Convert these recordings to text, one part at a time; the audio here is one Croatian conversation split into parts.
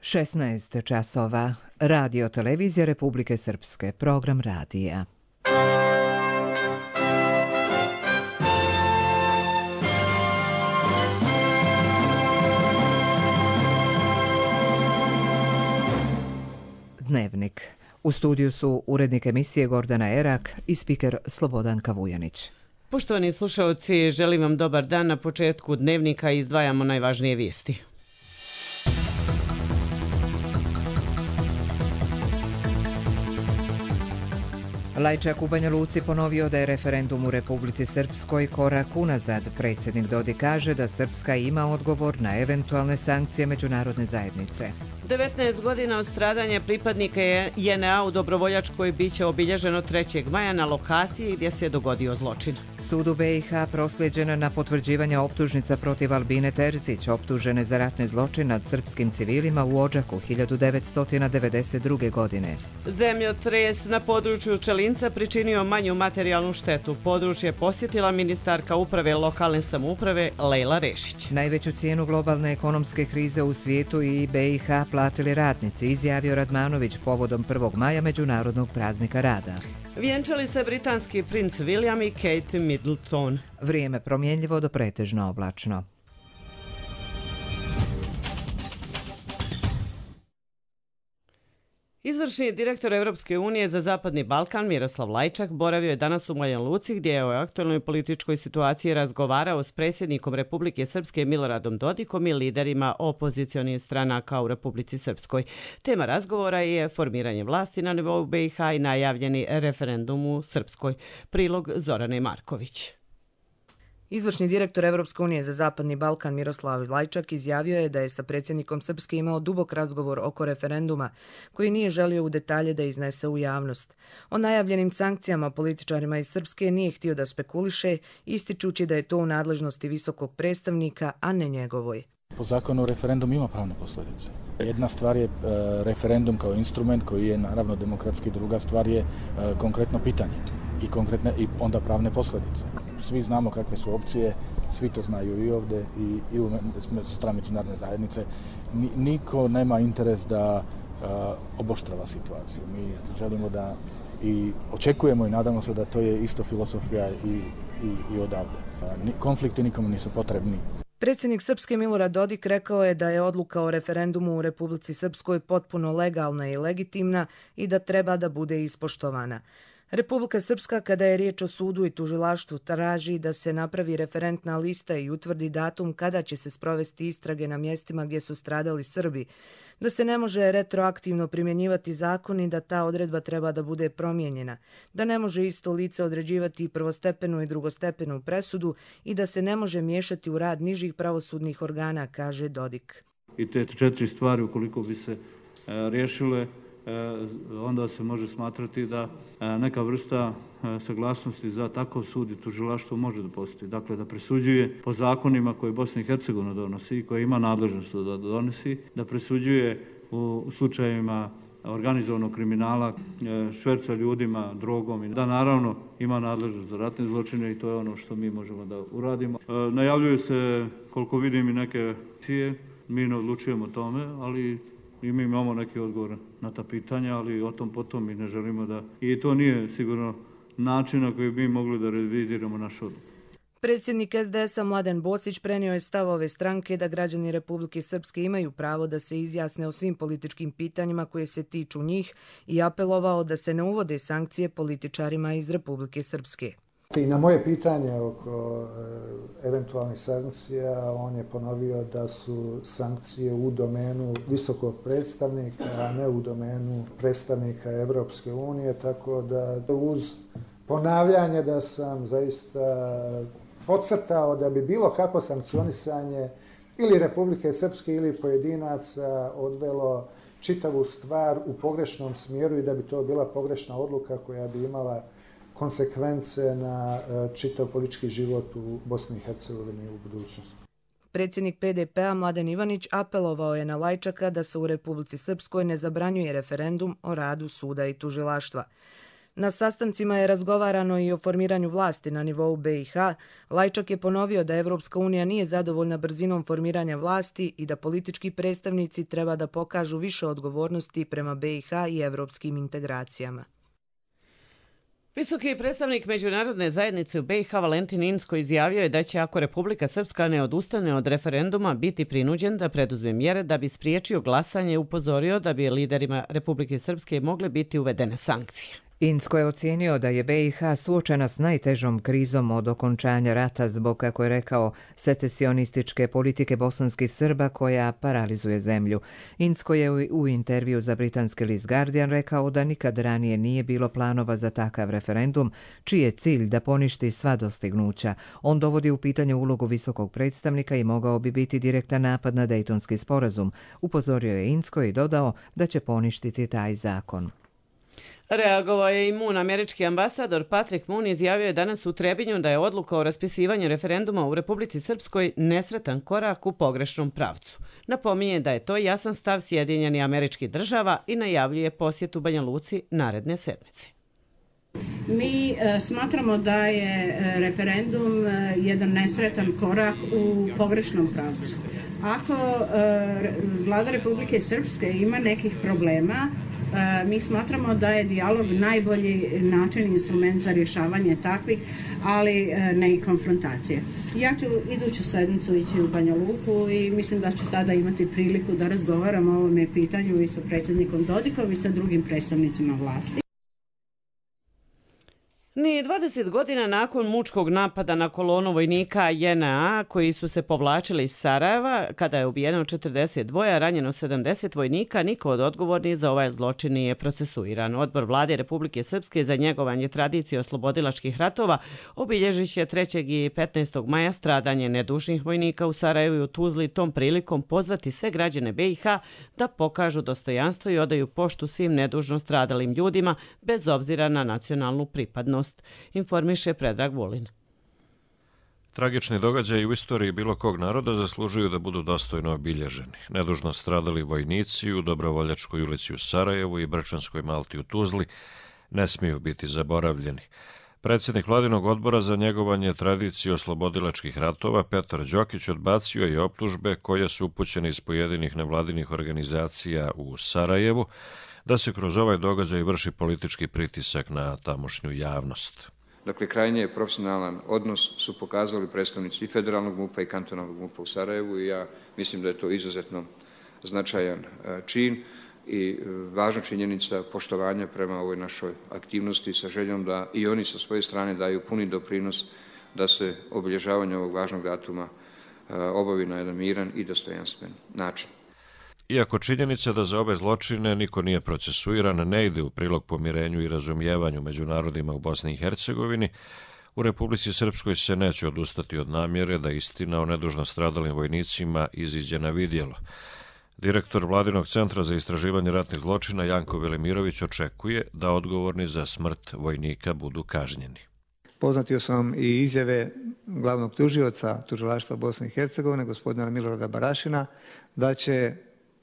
16 časova. Radio Televizija Republike Srpske. Program radija. Dnevnik. U studiju su urednik emisije Gordana Erak i spiker Slobodanka Vujanić. Poštovani slušalci, želim vam dobar dan. Na početku dnevnika izdvajamo najvažnije vijesti. Lajčak u Banja Luci ponovio da je referendum u Republici Srpskoj korak unazad. Predsjednik Dodik kaže da Srpska ima odgovor na eventualne sankcije međunarodne zajednice. 19 godina od stradanja pripadnika JNA u Dobrovoljačkoj biće obilježeno 3. maja na lokaciji gdje se dogodio zločin. Sud u BiH prosljeđena na potvrđivanje optužnica protiv Albine Terzić, optužene za ratne zločine nad srpskim civilima u Odžaku 1992. godine. Zemljotres na području Čelinca pričinio manju materijalnu štetu. Područje posjetila ministarka uprave lokalne samouprave Lejla Rešić. Najveću cijenu globalne ekonomske krize u svijetu i BiH platili radnici, izjavio Radmanović povodom 1. maja Međunarodnog praznika rada. Vjenčali se britanski princ William i Kate Middleton. Vrijeme promjenljivo do pretežno oblačno. Izvršni direktor Europske unije za Zapadni Balkan Miroslav Lajčak boravio je danas u Banja Luci gdje je o aktualnoj političkoj situaciji razgovarao s predsjednikom Republike Srpske Miloradom Dodikom i liderima opozicionih stranaka u Republici Srpskoj. Tema razgovora je formiranje vlasti na nivou BiH i najavljeni referendum u Srpskoj. Prilog Zorane Marković. Izvršni direktor Europske unije za Zapadni Balkan Miroslav Lajčak izjavio je da je sa predsjednikom Srpske imao dubok razgovor oko referenduma, koji nije želio u detalje da iznese u javnost. O najavljenim sankcijama političarima iz Srpske nije htio da spekuliše, ističući da je to u nadležnosti visokog predstavnika, a ne njegovoj. Po zakonu referendum ima pravne posljedice. Jedna stvar je referendum kao instrument koji je naravno demokratski, druga stvar je konkretno pitanje i onda pravne posljedice. Svi znamo kakve su opcije, svi to znaju i ovdje i u strani međunarodne zajednice. Niko nema interes da oboštrava situaciju. Mi želimo da i očekujemo i nadamo se da to je isto filosofija i odavde. Konflikti nikomu nisu potrebni. Predsjednik Srpske Milorad Dodik rekao je da je odluka o referendumu u Republici Srpskoj potpuno legalna i legitimna i da treba da bude ispoštovana. Republika Srpska, kada je riječ o sudu i tužilaštvu, traži da se napravi referentna lista i utvrdi datum kada će se sprovesti istrage na mjestima gdje su stradali Srbi, da se ne može retroaktivno primjenjivati zakon i da ta odredba treba da bude promijenjena, da ne može isto lice određivati prvostepenu i drugostepenu presudu i da se ne može miješati u rad nižih pravosudnih organa, kaže Dodik. I te 4 stvari, ukoliko bi se riješile, onda se može smatrati da neka vrsta saglasnosti za takav sud i tužilaštvo može da postoji. Dakle, da presuđuje po zakonima koje Bosna i Hercegovina donosi i koje ima nadležnost da donosi, da presuđuje u slučajevima organizovanog kriminala, šverca ljudima, drogom i da naravno ima nadležnost za ratne zločine i to je ono što mi možemo da uradimo. Najavljuju se, koliko vidim, i neke akcije. Mi ne odlučujemo o tome, ali i mi imamo neki odgovor na ta pitanja, ali o tom potom mi ne želimo da... I to nije sigurno način na koji bi mogli da revidiramo naš odluku. Predsjednik SDS-a Mladen Bosić prenio je stav ove stranke da građani Republike Srpske imaju pravo da se izjasne o svim političkim pitanjima koje se tiču njih i apelovao da se ne uvode sankcije političarima iz Republike Srpske. I na moje pitanje oko eventualnih sankcija, on je ponovio da su sankcije u domenu visokog predstavnika, a ne u domenu predstavnika Evropske unije, tako da uz ponavljanje da sam zaista podcrtao da bi bilo kako sankcionisanje ili Republike Srpske ili pojedinaca odvelo čitavu stvar u pogrešnom smjeru i da bi to bila pogrešna odluka koja bi imala konsekvence na čitav politički život u Bosni i Hercegovini u budućnosti. Predsjednik PDP-a Mladen Ivanić apelovao je na Lajčaka da se u Republici Srpskoj ne zabranjuje referendum o radu suda i tužilaštva. Na sastancima je razgovarano i o formiranju vlasti na nivou BiH. Lajčak je ponovio da Evropska unija nije zadovoljna brzinom formiranja vlasti i da politički predstavnici treba da pokažu više odgovornosti prema BiH i evropskim integracijama. Visoki predstavnik međunarodne zajednice u BiH Valentin Incko izjavio je da će, ako Republika Srpska ne odustane od referenduma, biti prinuđen da preduzme mjere da bi spriječio glasanje i upozorio da bi liderima Republike Srpske mogle biti uvedene sankcije. Incko je ocijenio da je BiH suočena s najtežom krizom od okončanja rata zbog, kako je rekao, secesionističke politike bosanskih Srba koja paralizuje zemlju. Incko je u intervju za britanski list Guardian rekao da nikad ranije nije bilo planova za takav referendum, čiji je cilj da poništi sva dostignuća. On dovodi u pitanje ulogu visokog predstavnika i mogao bi biti direktan napad na Dejtonski sporazum. Upozorio je Incko i dodao da će poništiti taj zakon. Reagovao je i Moon. Američki ambasador Patrick Moon izjavio je danas u Trebinju da je odluka o raspisivanju referenduma u Republici Srpskoj nesretan korak u pogrešnom pravcu. Napominje da je to jasan stav Sjedinjenih Američkih Država i najavljuje posjetu Banja Luci naredne sedmice. Mi smatramo da je referendum jedan nesretan korak u pogrešnom pravcu. Ako vlada Republike Srpske ima nekih problema, mi smatramo da je dijalog najbolji način i instrument za rješavanje takvih, ali ne i konfrontacije. Ja ću iduću sedmicu ići u Banja Luku i mislim da ću tada imati priliku da razgovaram o ovome pitanju i sa predsjednikom Dodikom i sa drugim predstavnicima vlasti. Ni 20 godina nakon mučkog napada na kolonu vojnika JNA koji su se povlačili iz Sarajeva, kada je ubijeno 42, a ranjeno 70 vojnika, niko od odgovornih za ovaj zločin nije procesuiran. Odbor Vlade Republike Srpske za njegovanje tradicije oslobodilačkih ratova obilježit će 3. i 15. maja stradanje nedužnih vojnika u Sarajevu i u Tuzli, tom prilikom pozvati sve građane BiH da pokažu dostojanstvo i odaju poštu svim nedužno stradalim ljudima bez obzira na nacionalnu pripadnost, informiše Predrag Vulin. Tragični događaji u istoriji bilo kog naroda zaslužuju da budu dostojno obilježeni. Nedužno stradali vojnici u Dobrovoljačkoj ulici u Sarajevu i Brčanskoj Malti u Tuzli ne smiju biti zaboravljeni. Predsjednik Vladinog odbora za njegovanje tradicije oslobodilačkih ratova Petar Đokić odbacio je optužbe koje su upućene iz pojedinih nevladinih organizacija u Sarajevu da se kroz ovaj događaj vrši politički pritisak na tamošnju javnost. Dakle, krajnje profesionalan odnos su pokazali predstavnici i federalnog MUP-a i kantonalnog MUP-a u Sarajevu i ja mislim da je to izuzetno značajan čin i važna činjenica poštovanja prema ovoj našoj aktivnosti sa željom da i oni sa svoje strane daju puni doprinos da se obilježavanje ovog važnog datuma obavi na jedan miran i dostojanstven način. Iako činjenica da za ove zločine niko nije procesuiran ne ide u prilog pomirenju i razumijevanju među narodima u Bosni i Hercegovini, u Republici Srpskoj se neće odustati od namjere da istina o nedužno stradalim vojnicima iziđe na vidjelo. Direktor Vladinog centra za istraživanje ratnih zločina Janko Velimirović očekuje da odgovorni za smrt vojnika budu kažnjeni. Poznatio sam i izjave glavnog tužioca Tužilaštva Bosne i Hercegovine, gospodina Milorada Barašina, da će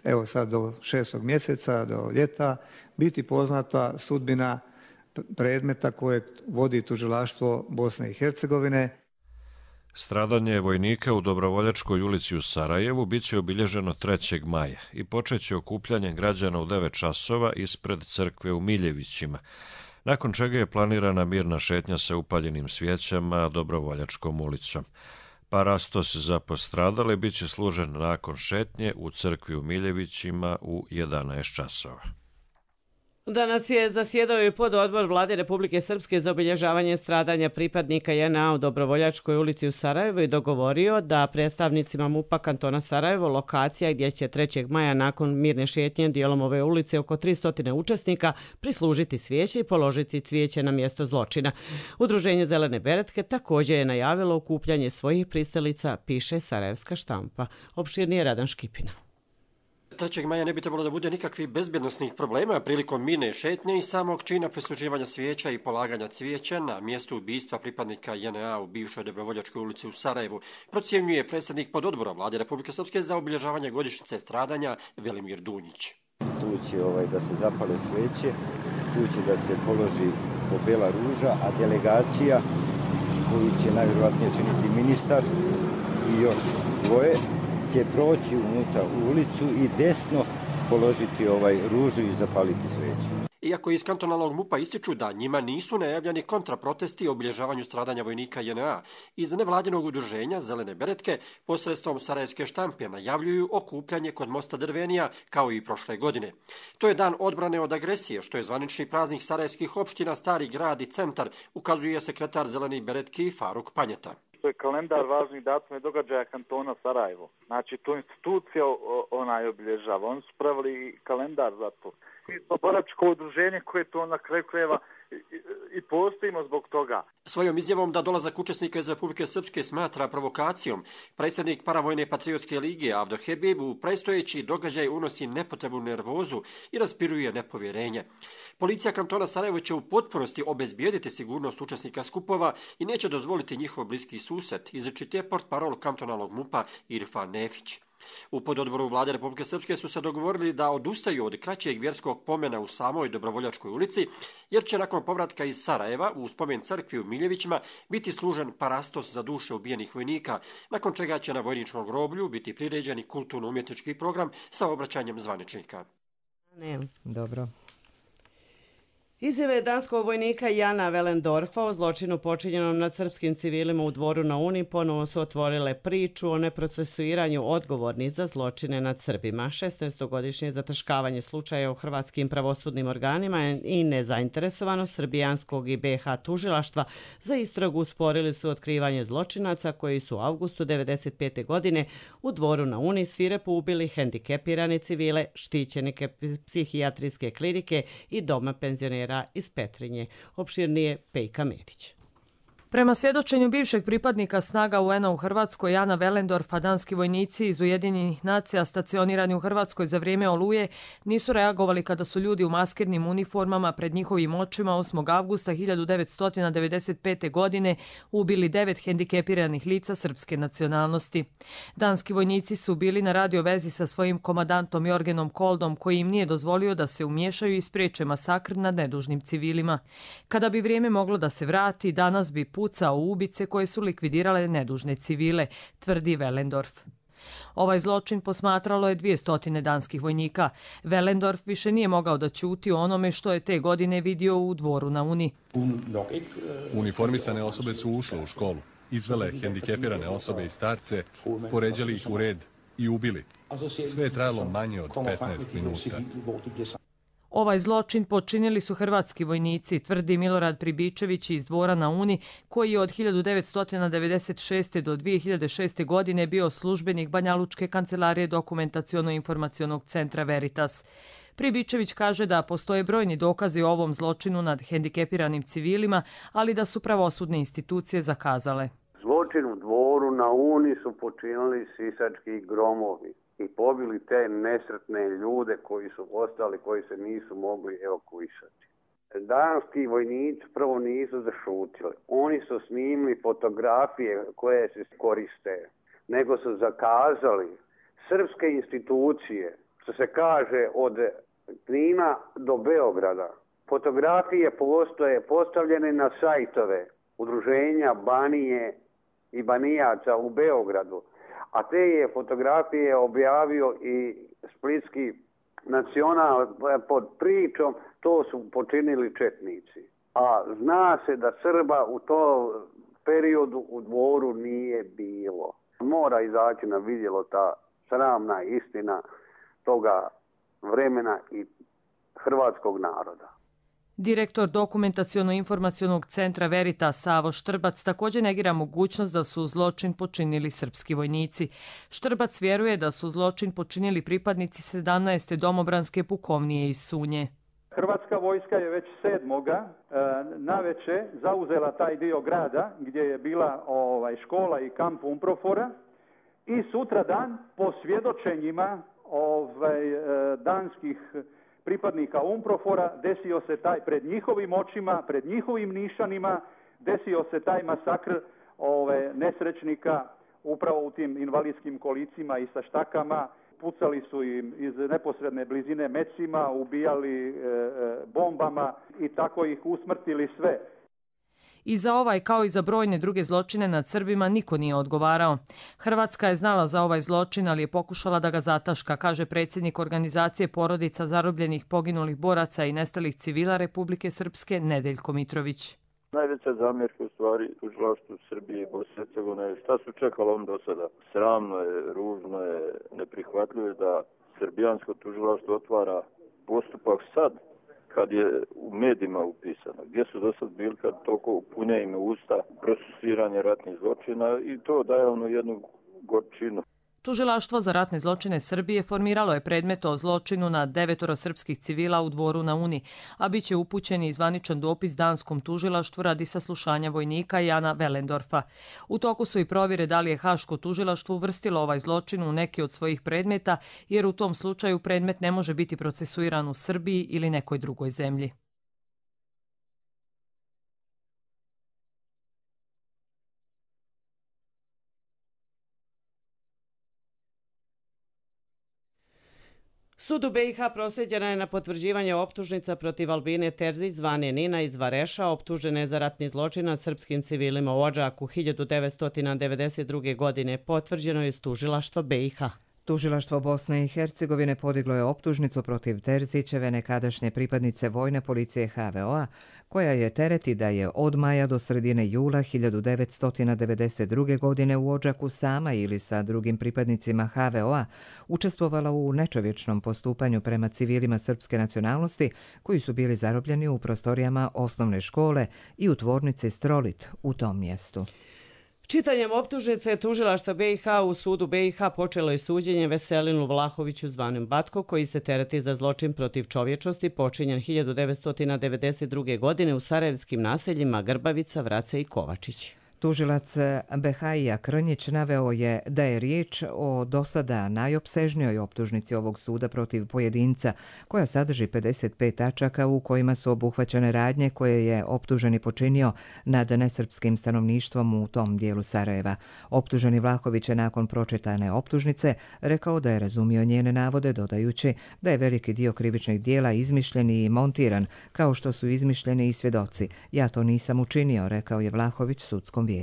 evo sad do 6. mjeseca, do ljeta, biti poznata sudbina predmeta kojeg vodi Tužilaštvo Bosne i Hercegovine. Stradanje vojnika u Dobrovoljačkoj ulici u Sarajevu bit će obilježeno 3. maja i počeće okupljanjem građana u 9 časova ispred crkve u Miljevićima, nakon čega je planirana mirna šetnja sa upaljenim svijećama Dobrovoljačkom ulicom. Parastos za postradale bit će služen nakon šetnje u crkvi u Miljevićima u 11 časova. Danas je zasjedao i pododbor Vlade Republike Srpske za obilježavanje stradanja pripadnika JNA u Dobrovoljačkoj ulici u Sarajevu i dogovorio da predstavnicima MUP-a kantona Sarajevo, lokacija gdje će 3. maja nakon mirne šetnje dijelom ove ulice oko 300 učesnika prislužiti svijeće i položiti cvijeće na mjesto zločina. Udruženje Zelene beretke također je najavilo okupljanje svojih pristalica, piše Sarajevska štampa. Opširnije Radan Škipina. 3. maja ne bi trebalo da bude nikakvih bezbjednosnih problema prilikom mirne šetnje i samog čina prisluživanja svijeća i polaganja cvijeća na mjestu ubistva pripadnika JNA u bivšoj Dobrovoljačkoj ulici u Sarajevu, procjenjuje predsjednik pododbora Vlade Republike Srpske za obilježavanje godišnjice stradanja Velimir Dunjić. Tu će da se zapale svijeće, tu će da se položi svakako Bela ruža, a delegacija koju će najvjerojatnije činiti ministar i još dvoje će proći unutra u ulicu i desno položiti ružu i zapaliti sveću. Iako iz kantonalnog MUP-a ističu da njima nisu najavljeni kontraprotesti o obilježavanju stradanja vojnika JNA, iz nevladinog udruženja Zelene beretke posredstvom sarajevske štampe najavljuju okupljanje kod mosta Drvenija kao i prošle godine. To je dan odbrane od agresije, što je zvanični praznik sarajevskih opština Stari grad i centar, ukazuje sekretar Zelenih beretki Faruk Panjeta. To je kalendar važnih datuma i događaja kantona Sarajevo. Znači, tu institucija ona obilježava. Oni su pravili kalendar za to. Mi smo boračko udruženje koje to na kraju krajeva i postojimo zbog toga. Svojom izjavom da dolazak učesnika iz Republike Srpske smatra provokacijom, predsjednik Paravojne patriotske lige Avdo Hebib u predstojeći događaj unosi nepotrebnu nervozu i raspiruje nepovjerenje. Policija kantona Sarajevo će u potpunosti obezbijediti sigurnost učesnika skupova i neće dozvoliti njihov bliski susret, izričite portparol kantonalnog MUP-a Irfan Nefić. U pododboru vlade Republike Srpske su se dogovorili da odustaju od kraćeg vjerskog pomena u samoj Dobrovoljačkoj ulici, jer će nakon povratka iz Sarajeva u spomen crkvi u Miljevićima biti služen parastos za duše ubijenih vojnika, nakon čega će na vojničkom groblju biti priređeni kulturno-umjetnički program sa obraćanjem zvaničnika. Dobro. Izjave danskog vojnika Jana Velendorfa o zločinu počinjenom nad srpskim civilima u Dvoru na Uni ponovo su otvorile priču o neprocesuiranju odgovornih za zločine nad Srbima. 16-godišnje zataškavanje slučaja u hrvatskim pravosudnim organima i nezainteresovanost srbijanskog i BiH tužilaštva za istragu usporili su otkrivanje zločinaca koji su u avgustu 1995. godine u Dvoru na Uni svirepo ubili hendikepirane civile, štićenike psihijatrijske klinike i doma penzionera iz Petrinje. Opširnije Pejka Medić. Prema svjedočenju bivšeg pripadnika snaga UN-a u Hrvatskoj Jana Velendorfa, danski vojnici iz Ujedinjenih nacija stacionirani u Hrvatskoj za vrijeme Oluje nisu reagovali kada su ljudi u maskirnim uniformama pred njihovim očima 8. avgusta 1995. godine ubili 9 hendikepiranih lica srpske nacionalnosti. Danski vojnici su bili na radio vezi sa svojim komandantom Jorgenom Koldom, koji im nije dozvolio da se umiješaju i spriječe masakr nad nedužnim civilima. Kada bi vrijeme moglo da se vrati, danas bi pucao u ubice koje su likvidirale nedužne civile, tvrdi Velendorf. Ovaj zločin posmatralo je 200 danskih vojnika. Velendorf više nije mogao da ćuti o onome što je te godine vidio u Dvoru na Uni. Uniformisane osobe su ušle u školu, izvele hendikepirane osobe i starce, poređali ih u red i ubili. Sve je trajalo manje od 15 minuta. Ovaj zločin počinili su hrvatski vojnici, tvrdi Milorad Pribičević iz Dvora na Uni, koji je od 1996. do 2006. godine bio službenik Banjalučke kancelarije dokumentaciono-informacionog centra Veritas. Pribičević kaže da postoje brojni dokazi o ovom zločinu nad hendikepiranim civilima, ali da su pravosudne institucije zakazale. Zločin u Dvoru na Uni su počinili sisački gromovi i pobili te nesretne ljude koji su ostali, koji se nisu mogli evakuisati. Danski vojnici prvo nisu zašutili. Oni su snimili fotografije koje se koriste, nego su zakazali srpske institucije, što se kaže od Knina do Beograda. Fotografije postoje postavljene na sajtove udruženja Banije i Banijaca u Beogradu. A te je fotografije objavio i Splitski nacional pod pričom, to su počinili četnici. A zna se da Srba u tom periodu u Dvoru nije bilo. Mora izaći na vidjelo ta sramna istina toga vremena i hrvatskog naroda. Direktor dokumentaciono-informacionog centra Veritas Savo Štrbac također negira mogućnost da su zločin počinili srpski vojnici. Štrbac vjeruje da su zločin počinili pripadnici 17. domobranske pukovnije iz Sunje. Hrvatska vojska je već 7. naveče zauzela taj dio grada gdje je bila škola i kamp Umprofora i sutradan po svjedočenjima danskih pripadnika Umprofora desio se taj pred njihovim očima, pred njihovim nišanima, desio se taj masakr nesrećnika upravo u tim invalidskim kolicima i sa štakama pucali su im iz neposredne blizine mecima, ubijali bombama i tako ih usmrtili sve. I za ovaj kao i za brojne druge zločine nad Srbima niko nije odgovarao. Hrvatska je znala za ovaj zločin, ali je pokušala da ga zataška, kaže predsjednik organizacije porodica zarobljenih, poginulih boraca i nestalih civila Republike Srpske Nedeljko Mitrović. Najveća zamjerka u stvari tužilaštvu Srbije i Bosne i Hercegovine, šta su čekali on do sada? Sramno je, ružno je, neprihvatljivo je da srbijansko tužilaštvo otvara postupak sad, kad je u medijima upisano. Gdje su do sad bili kad toliko punja im usta procesuiranje ratnih zločina i to daje jednu gorčinu. Tužilaštvo za ratne zločine Srbije formiralo je predmet o zločinu na 9 srpskih civila u Dvoru na Uni, a bit će upućen i zvaničan dopis danskom tužilaštvu radi saslušanja vojnika Jana Velendorfa. U toku su i provjere da li je Haško tužilaštvo uvrstilo ovaj zločin u neki od svojih predmeta, jer u tom slučaju predmet ne može biti procesuiran u Srbiji ili nekoj drugoj zemlji. Sud u BiH proslijeđena je na potvrđivanje optužnica protiv Albine Terzić zvane Nina iz Vareša, optužene za ratni zločin nad srpskim civilima u Odžaku 1992. godine, potvrđeno je iz tužilaštva BiH. Tužilaštvo Bosne i Hercegovine podiglo je optužnicu protiv Terzićeve, nekadašnje pripadnice vojne policije HVO-a, koja je tereti da je od maja do sredine jula 1992. godine u Odžaku sama ili sa drugim pripadnicima HVO-a učestvovala u nečovječnom postupanju prema civilima srpske nacionalnosti koji su bili zarobljeni u prostorijama osnovne škole i u tvornici Strolit u tom mjestu. Čitanjem optužnice tužilaštva BiH u sudu BiH počelo je suđenje Veselinu Vlahoviću zvanom Batko, koji se tereti za zločin protiv čovječnosti počinjen 1992. godine u sarajevskim naseljima Grbavica, Vrace i Kovačić. Tužilac Behajija Krnjić naveo je da je riječ o dosada najopsežnijoj optužnici ovog suda protiv pojedinca, koja sadrži 55 tačaka u kojima su obuhvaćene radnje koje je optuženi počinio nad nesrpskim stanovništvom u tom dijelu Sarajeva. Optuženi Vlahović je nakon pročitane optužnice rekao da je razumio njene navode, dodajući da je veliki dio krivičnih dijela izmišljen i montiran, kao što su izmišljeni i svjedoci. Ja to nisam učinio, rekao je Vlahović sudskom vijeću.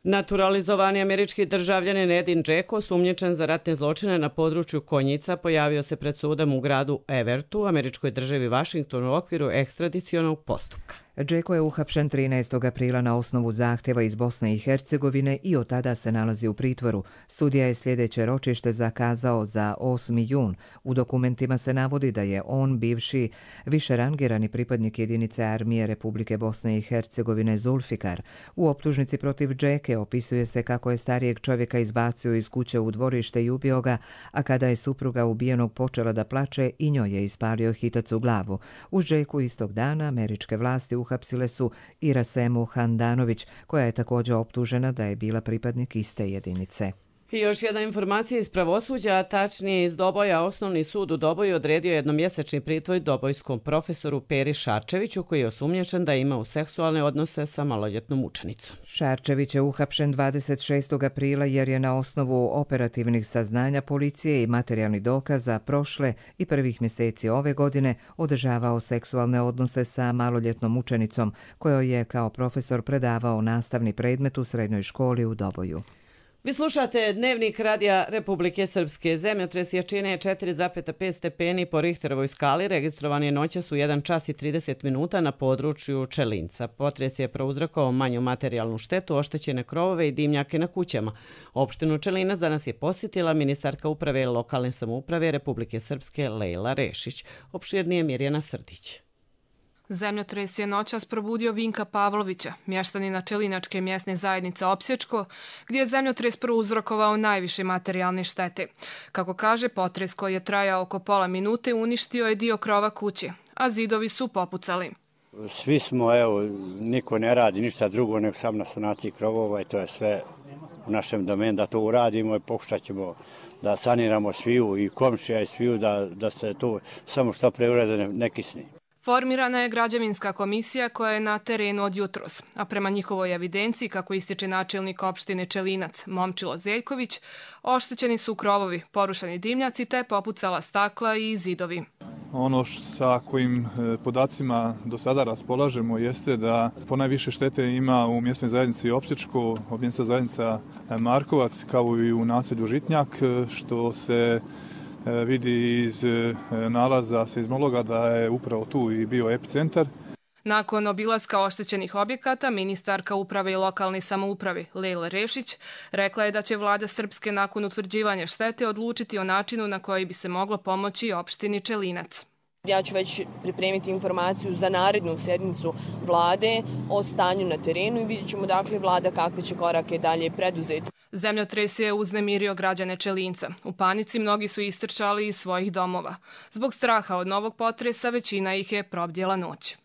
Naturalizovani američki državljanin Edin Džeko, osumnjičen za ratne zločine na području Konjica, pojavio se pred sudom u gradu Evertu, američkoj državi Vašingtonu u okviru ekstradicionog postupka. Džeko je uhapšen 13. aprila na osnovu zahtjeva iz Bosne i Hercegovine i od tada se nalazi u pritvoru. Sudija je sljedeće ročište zakazao za 8. jun. U dokumentima se navodi da je on bivši višerangirani pripadnik jedinice armije Republike Bosne i Hercegovine Zulfikar. U optužnici protiv Džeke opisuje se kako je starijeg čovjeka izbacio iz kuće u dvorište i ubio ga, a kada je supruga ubijenog počela da plače i njoj je ispalio hitac u glavu. Uz Džeku istog dana američke vlasti uhapsile su i Rasemu Handanović, koja je također optužena da je bila pripadnik iste jedinice. I još jedna informacija iz pravosuđa, a tačnije iz Doboja. Osnovni sud u Doboju odredio jednomjesečni pritvor dobojskom profesoru Peri Šarčeviću, koji je osumnjičen da je imao seksualne odnose sa maloljetnom učenicom. Šarčević je uhapšen 26. aprila jer je na osnovu operativnih saznanja policije i materijalnih dokaza prošle i prvih mjeseci ove godine održavao seksualne odnose sa maloljetnom učenicom, kojoj je kao profesor predavao nastavni predmet u srednjoj školi u Doboju. Vi slušate Dnevnik radija Republike Srpske. Zemljotres jačine 4,5 stepeni po Richterovoj skali registrovan je noćas u 1 čas i 30 minuta na području Čelinca. Potres je prouzrokovao manju materijalnu štetu, oštećene krovove i dimnjake na kućama. Opštinu Čelinac danas je posjetila ministarka uprave lokalne samouprave Republike Srpske Lejla Rešić. Opširnije Mirjana Srdić. Zemljotres je noćas probudio Vinka Pavlovića, mještanina Čelinačke mjesne zajednice Opsječko, gdje je zemljotres prouzrokovao najviše materijalne štete. Kako kaže, potres koji je trajao oko pola minute uništio je dio krova kuće, a zidovi su popucali. Svi smo, niko ne radi ništa drugo nego sam na sanaciji krovova i to je sve u našem domenu da to uradimo i pokušat ćemo da saniramo sviju i komšija i sviju da se to samo što pre urede ne kisni. Formirana je građevinska komisija koja je na terenu od jutros, a prema njihovoj evidenciji, kako ističe načelnik opštine Čelinac Momčilo Zeljković, oštećeni su krovovi, porušeni dimnjaci te popucala stakla i zidovi. Ono sa kojim podacima do sada raspolažemo jeste da ponajviše štete ima u mjesnoj zajednici Opsječko, mjesna zajednica Markovac, kao i u naselju Žitnjak, što se vidi iz nalaza seizmologa da je upravo tu i bio epicentar. Nakon obilaska oštećenih objekata, ministarka uprave i lokalne samouprave Lejla Rešić rekla je da će vlada Srpske nakon utvrđivanja štete odlučiti o načinu na koji bi se moglo pomoći opštini Čelinac. Ja ću već pripremiti informaciju za narednu sjednicu vlade o stanju na terenu i vidjet ćemo dakle vlada kakve će korake dalje preduzeti. Zemljotres je uznemirio građane Čelinca. U panici mnogi su istrčali iz svojih domova. Zbog straha od novog potresa većina ih je probdjela noć.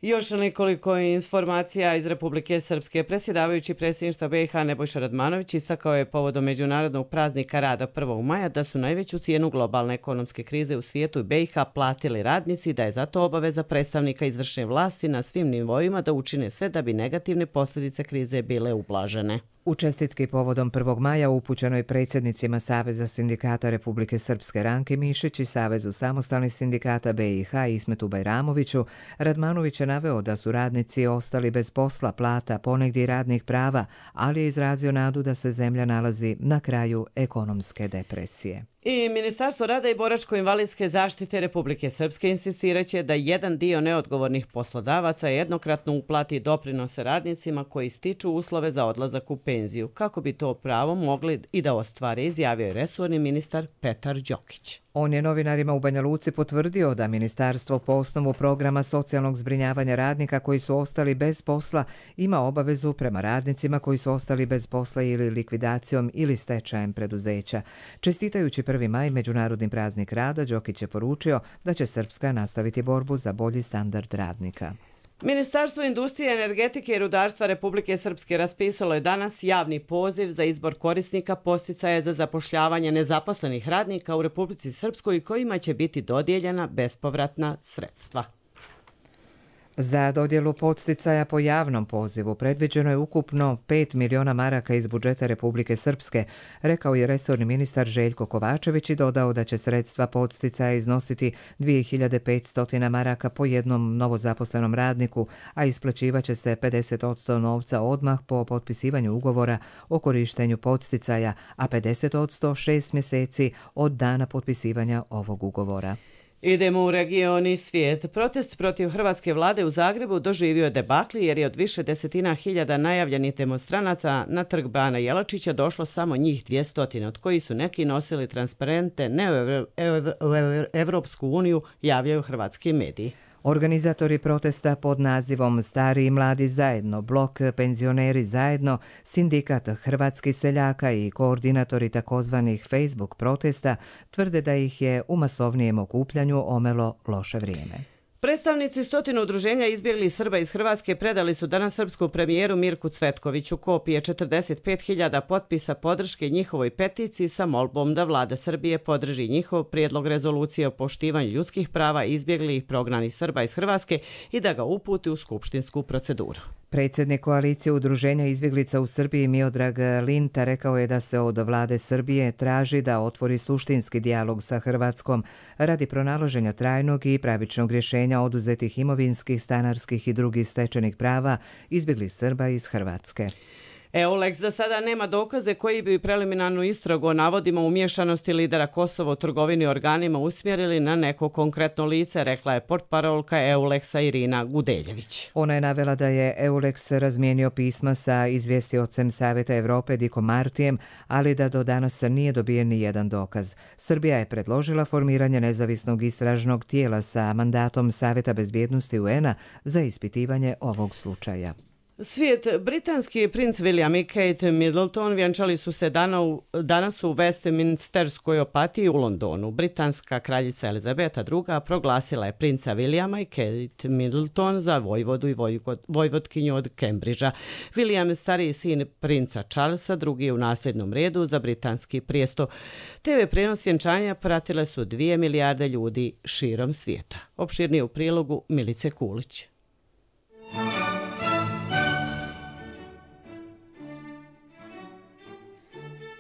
Još nekoliko informacija iz Republike Srpske. Predsjedavajući predsjedništva BiH Nebojša Radmanović istakao je povodom Međunarodnog praznika rada 1. maja da su najveću cijenu globalne ekonomske krize u svijetu i BiH platili radnici, da je zato obaveza predstavnika izvršne vlasti na svim nivoima da učine sve da bi negativne posljedice krize bile ublažene. U čestitki povodom 1. maja upućenoj predsjednicima Saveza sindikata Republike Srpske Ranki Mišić i Savezu samostalnih sindikata BiH Ismetu Bajramoviću, Radmanović je naveo da su radnici ostali bez posla, plata, ponegdje i radnih prava, ali je izrazio nadu da se zemlja nalazi na kraju ekonomske depresije. I Ministarstvo rada i boračko-invalidske zaštite Republike Srpske insistiraće da jedan dio neodgovornih poslodavaca jednokratno uplati doprinose radnicima koji stiču uslove za odlazak u penziju. Kako bi to pravo mogli i da ostvare, izjavio je resorni ministar Petar Đokić. On je novinarima u Banja Luci potvrdio da ministarstvo po osnovu programa socijalnog zbrinjavanja radnika koji su ostali bez posla ima obavezu prema radnicima koji su ostali bez posla ili likvidacijom ili stečajem preduzeća. Čestitajući 1. maj, Međunarodni praznik rada, Đokić je poručio da će Srpska nastaviti borbu za bolji standard radnika. Ministarstvo industrije, energetike i rudarstva Republike Srpske raspisalo je danas javni poziv za izbor korisnika podsticaja za zapošljavanje nezaposlenih radnika u Republici Srpskoj kojima će biti dodijeljena bespovratna sredstva. Za dodjelu podsticaja po javnom pozivu predviđeno je ukupno 5 miliona maraka iz budžeta Republike Srpske, rekao je resorni ministar Željko Kovačević i dodao da će sredstva podsticaja iznositi 2500 maraka po jednom novozaposlenom radniku, a isplaćivaće se 50% novca odmah po potpisivanju ugovora o korištenju podsticaja, a 50% 6 mjeseci od dana potpisivanja ovog ugovora. Idemo u region i svijet. Protest protiv hrvatske vlade u Zagrebu doživio je debakli jer je od više desetina hiljada najavljenih demonstranaca na trg Bana Jelačića došlo samo njih 200, od kojih su neki nosili transparente ne u Evropsku uniju, javljaju hrvatski mediji. Organizatori protesta pod nazivom Stari i mladi zajedno, Blok penzioneri zajedno, Sindikat hrvatskih seljaka i koordinatori takozvanih Facebook protesta tvrde da ih je u masovnijem okupljanju omelo loše vrijeme. Predstavnici 100 udruženja izbjeglih Srba iz Hrvatske predali su danas srpsku premijeru Mirku Cvetkoviću kopije 45.000 potpisa podrške njihovoj peticiji sa molbom da vlada Srbije podrži njihov prijedlog rezolucije o poštivanju ljudskih prava izbjeglih prognanih Srba iz Hrvatske i da ga uputi u skupštinsku proceduru. Predsjednik koalicije udruženja izbjeglica u Srbiji Miodrag Linta rekao je da se od vlade Srbije traži da otvori suštinski dijalog sa Hrvatskom radi pronalaženja trajnog i pravičnog rješenja oduzetih imovinskih, stanarskih i drugih stečenih prava izbjeglih Srba iz Hrvatske. EULEX za sada nema dokaze koji bi preliminarnu istragu o navodima umiješanosti lidera Kosova u trgovini organima usmjerili na neko konkretno lice, rekla je portparolka EULEX-a Irina Gudeljević. Ona je navela da je EULEX razmijenio pisma sa izvjestiocem Savjeta Evrope Dikom Martijem, ali da do danas nije dobijen ni jedan dokaz. Srbija je predložila formiranje nezavisnog istražnog tijela sa mandatom Savjeta bezbjednosti UN-a za ispitivanje ovog slučaja. Svijet, britanski princ William i Kate Middleton vjenčali su se danas u Westminsterskoj apatiji u Londonu. Britanska kraljica Elizabeta II proglasila je princa Williama i Kate Middleton za vojvodu i vojvotkinju od Cambridgea. William, stariji sin princa Charlesa, drugi je u nasljednom redu za britanski prijesto. TV prenos vjenčanja pratile su 2 milijarde ljudi širom svijeta. Opširnije u prilogu Milice Kulić.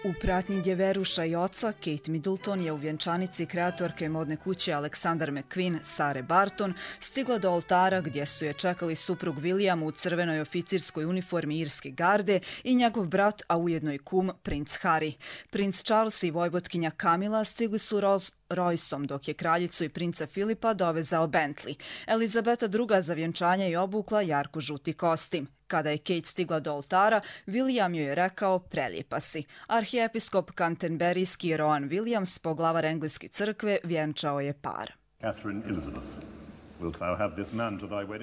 U pratnji djeveruša i oca, Kate Middleton je u vjenčanici kreatorke modne kuće Alexander McQueen, Sare Barton, stigla do oltara gdje su je čekali suprug William u crvenoj oficirskoj uniformi irske garde i njegov brat, a ujedno i kum, princ Harry. Princ Charles i vojvotkinja Camilla stigli su Royceom, dok je kraljicu i princa Filipa dovezao Bentley. Elizabeta II za vjenčanje je obukla jarko žuti kostim. Kada je Kate stigla do oltara, William joj je rekao prelijepa si. Arhijepiskop Canterburyski Rowan Williams, poglavar engleske crkve, vjenčao je par.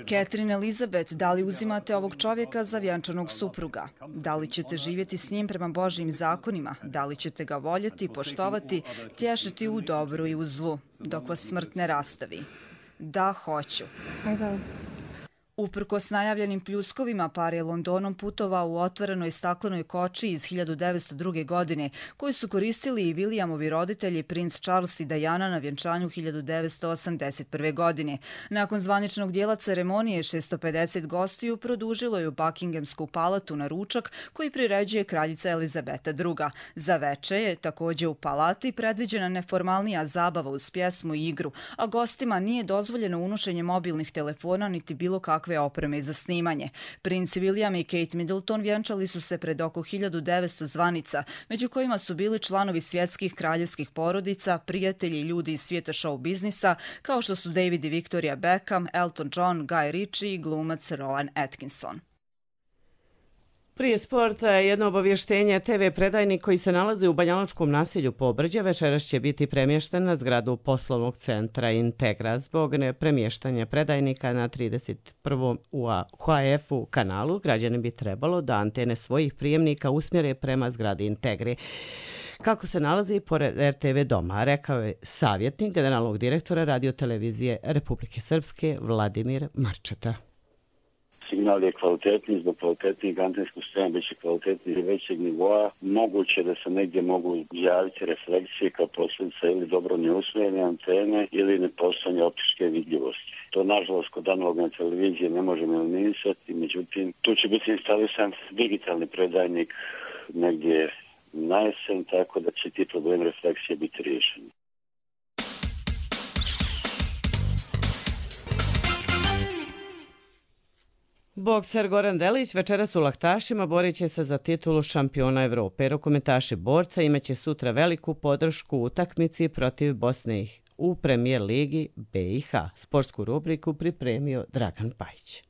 Catherine Elizabeth, da li uzimate ovog čovjeka za vjenčanog supruga? Da li ćete živjeti s njim prema Božjim zakonima? Da li ćete ga voljeti, poštovati, tješiti u dobru i u zlu, dok vas smrt ne rastavi? Da, hoću. Uprkos najavljenim pljuskovima, par je Londonom putovao u otvorenoj staklenoj koči iz 1902. godine, koju su koristili i Williamovi roditelji, princ Charles i Diana, na vjenčanju 1981. godine. Nakon zvaničnog dijela ceremonije, 650 gostiju produžilo je u Buckinghamsku palatu na ručak koji priređuje kraljica Elizabeta II. Za veče je također u palati predviđena neformalnija zabava uz pjesmu i igru, a gostima nije dozvoljeno unošenje mobilnih telefona niti bilo kakve opreme za snimanje. Princ William i Kate Middleton vjenčali su se pred oko 1900 zvanica, među kojima su bili članovi svjetskih kraljevskih porodica, prijatelji i ljudi iz svijeta show biznisa, kao što su David i Victoria Beckham, Elton John, Guy Ritchie i glumac Rowan Atkinson. Prije sporta jedno obavještenje. TV predajnik koji se nalazi u banjalučkom naselju Pobrđe večeras će biti premješten na zgradu poslovnog centra Integra. Zbog nepremještanja predajnika na 31. UHF-u kanalu, građani bi trebalo da antene svojih prijemnika usmjere prema zgradi Integri, kako se nalazi pored RTV doma, rekao je savjetnik generalnog direktora radiotelevizije Republike Srpske Vladimir Marčeta. Signal je kvalitetniji, zbog kvalitetnijeg antenskog sistema biće kvalitetniji i većeg nivoa. Moguće da se negdje mogu javiti refleksije kao posljedica ili dobro neusmjerene antene ili nepostojanje optičke vidljivosti. To nažalost kod analogne televizije ne možemo eliminisati, međutim tu će biti instalisan digitalni predajnik negdje na jesen, tako da će ti problem refleksije biti riješeni. Bokser Goran Delić večeras u Laktašima borit će se za titulu šampiona Evrope. Rukometaši borca imaće sutra veliku podršku u utakmici protiv Bosne u premijer ligi BiH. Sportsku rubriku pripremio Dragan Pajić.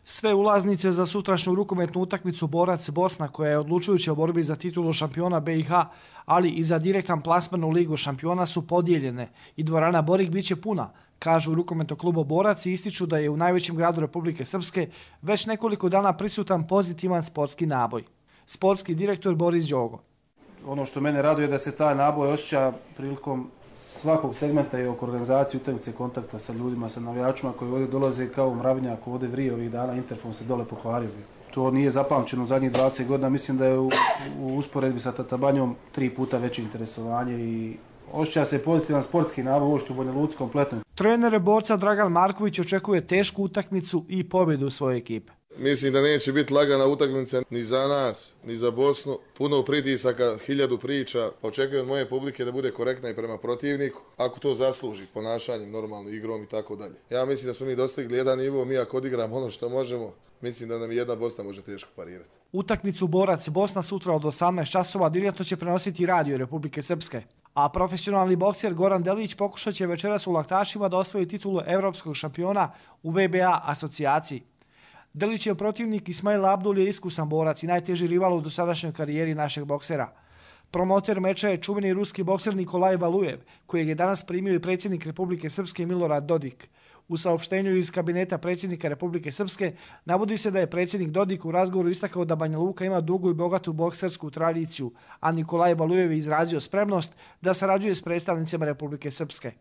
Sve ulaznice za sutrašnju rukometnu utakmicu Borac Bosna, koja je odlučujuća u borbi za titulu šampiona BiH, ali i za direktan plasman u ligu šampiona, su podijeljene i dvorana Borik biće puna, kažu u rukometnom klubu Borac i ističu da je u najvećem gradu Republike Srpske već nekoliko dana prisutan pozitivan sportski naboj. Sportski direktor Boris Đogo. Ono što mene raduje je da se taj naboj osjeća prilikom svakog segmenta i oko organizacije utakmice, kontakta sa ljudima, sa navijačima koji ovdje dolaze kao mravnjak, ovdje vrije ovih dana, interfon se dole pokvario. To nije zapamćeno u zadnjih 20 godina, mislim da je u usporedbi sa Tatabanjom 3 puta veće interesovanje i osjeća se pozitivan sportski naboj uopšte u Banja Luci kompletno. Trener borca Dragan Marković očekuje tešku utakmicu i pobjedu svoje ekipe. Mislim da neće biti lagana utakmica ni za nas, ni za Bosnu. Puno pritisaka, 1000 priča. Očekujem od moje publike da bude korektna i prema protivniku, ako to zasluži, ponašanjem, normalno, igrom i tako dalje. Ja mislim da smo mi dostigli jedan nivo, mi ako odigramo ono što možemo, mislim da nam jedna Bosna može teško parirati. Utakmicu Borac Bosna sutra od 18 časova direktno će prenositi Radio Republike Srpske. A profesionalni bokser Goran Delić pokušat će večeras u Laktašima da osvoji titulu evropskog šampiona u VBA asocijaciji. Delićev protivnik Ismail Abdul je iskusan borac i najteži rival u dosadašnjoj karijeri našeg boksera. Promoter meča je čuveni ruski bokser Nikolaj Valujev, kojeg je danas primio i predsjednik Republike Srpske Milorad Dodik. U saopštenju iz kabineta predsjednika Republike Srpske navodi se da je predsjednik Dodik u razgovoru istakao da Banja Luka ima dugu i bogatu boksersku tradiciju, a Nikolaj Valujev je izrazio spremnost da sarađuje s predstavnicima Republike Srpske.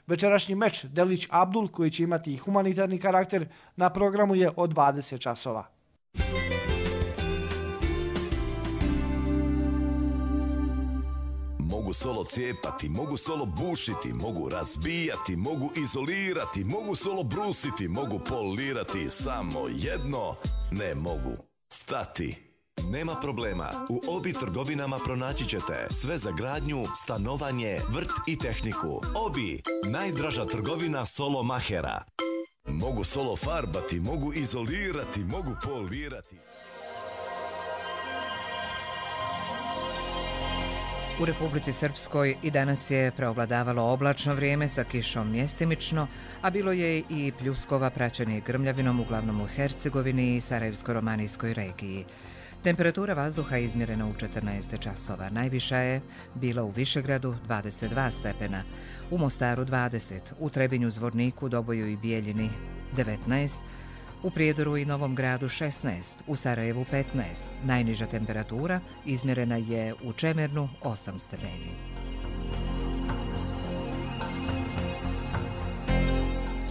Večerašnji meč Delić Abdul, koji će imati i humanitarni karakter, na programu je od 20 časova. Mogu solo cijepati, mogu solo bušiti, mogu razbijati, mogu izolirati, mogu solo brusiti, mogu polirati, samo jedno ne mogu stati. Nema problema, u Obi trgovinama pronaći ćete sve za gradnju, stanovanje, vrt i tehniku. Obi, najdraža trgovina solo mahera. Mogu solo farbati, mogu izolirati, mogu polirati. U Republici Srpskoj i danas je preovladavalo oblačno vrijeme sa kišom mjestimično, a bilo je i pljuskova praćenih grmljavinom uglavnom u Hercegovini i Sarajevsko-romanijskoj regiji. Temperatura vazduha je izmjerena u 14 časova. Najviša je bila u Višegradu 22 stepena, u Mostaru 20, u Trebinju, Zvorniku, Doboju i Bijeljini 19, u Prijedoru i Novom Gradu 16, u Sarajevu 15. Najniža temperatura izmjerena je u Čemernu 8 stepeni.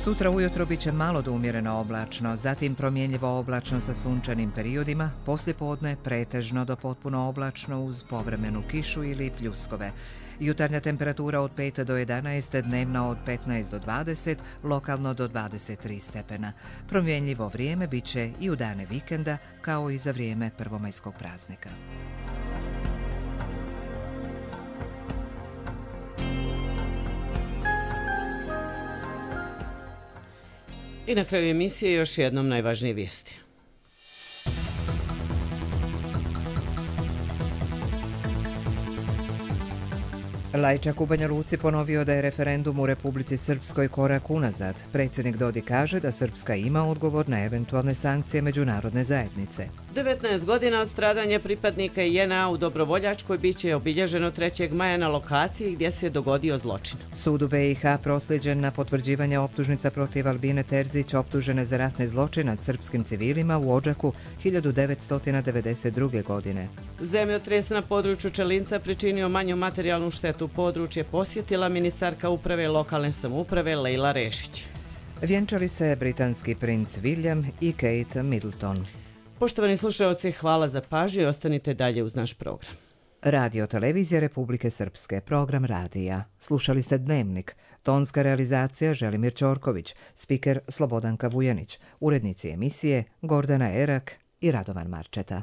Sutra ujutro biće malo do umjereno oblačno, zatim promjenjivo oblačno sa sunčanim periodima, poslijepodne pretežno do potpuno oblačno uz povremenu kišu ili pljuskove. Jutarnja temperatura od 5 do 11, dnevna od 15 do 20, lokalno do 23 stepena. Promjenjivo vrijeme biće i u dane vikenda, kao i za vrijeme prvomajskog praznika. I na kraju emisije još jednom najvažnije vijesti. Lajčak u Banja Luci ponovio da je referendum u Republici Srpskoj korak unazad. Predsjednik Dodik kaže da Srpska ima odgovor na eventualne sankcije međunarodne zajednice. 19 godina od stradanja pripadnika JNA u Dobrovoljačkoj biće obilježeno 3. maja na lokaciji gdje se dogodio zločin. Sud u BiH prosljeđen na potvrđivanje optužnica protiv Albine Terzić, optužene za ratne zločine nad srpskim civilima u Odžaku 1992. godine. Zemljotres na području Čelinca pričinio manju materijalnu štetu. Područje posjetila ministarka uprave lokalne samouprave Lejla Rešić. Vjenčali se britanski princ William i Kate Middleton. Poštovani slušalci, hvala za pažnju i ostanite dalje uz naš program. Radio Televizija Republike Srpske, program radija. Slušali ste Dnevnik, tonska realizacija Želimir Ćorković, spiker Slobodanka Vujanić, urednici emisije Gordana Erak i Radovan Marčeta.